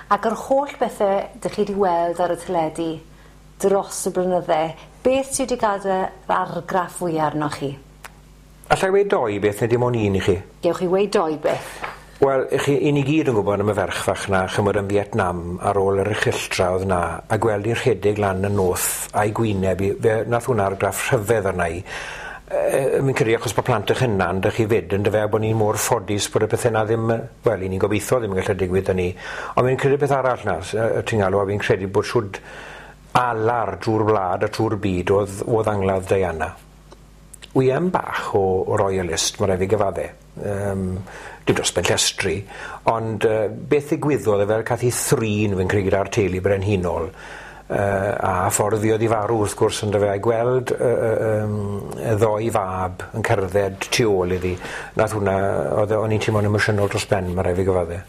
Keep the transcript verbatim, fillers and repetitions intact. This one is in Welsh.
Ac yr holl bethe 'dych chi 'di weld ar y teledu dros y blynydde, beth sy wedi gadel yr argraff fwya arnoch chi? Alla i weud doi beth neu dim ond un i chi? Gewch chi weud doi beth. Wel, i chi, i ni gyd yn gwybod am y ferch fach 'na, ch'mod, yn Vietnam ar ôl yr erchylltra o'dd 'na, a gweld 'i rhedeg lan y noth a'i gwyneb 'i, fe nath hwnna argraff rhyfedd arna i. Yy fi'n credu achos bod plant 'ych hunan 'dych chi 'fyd yndyfe, a bod ni'n mor ffodus bod y pethe 'na ddim, wel, 'yn ni'n gobeithio ddim yn gallu digwydd 'da ni. Ond fi'n credu beth arall 'na, yy ti'n galw, a fi'n credu bod shwd alar drwy'r wlad a trwy'r byd o'dd, o'dd angladd Diana. Wi yn bach o, o royalist, mae rhaid fi gyfadde. Um, dim dros ben llestri, ond uh, beth ddigwyddodd e fel cath ei thrin fi'n credu gyda'r teulu brenhinol, uh, a ffordd fuodd i farw wrth gwrs yn fe, a'i gweld uh, uh, um, y ddoi fab yn cerdded tu ôl iddi, nath hwnna, oedd o'n i'n teimlo'n emosiynol dros ben, mae rhaid fi gyfadde.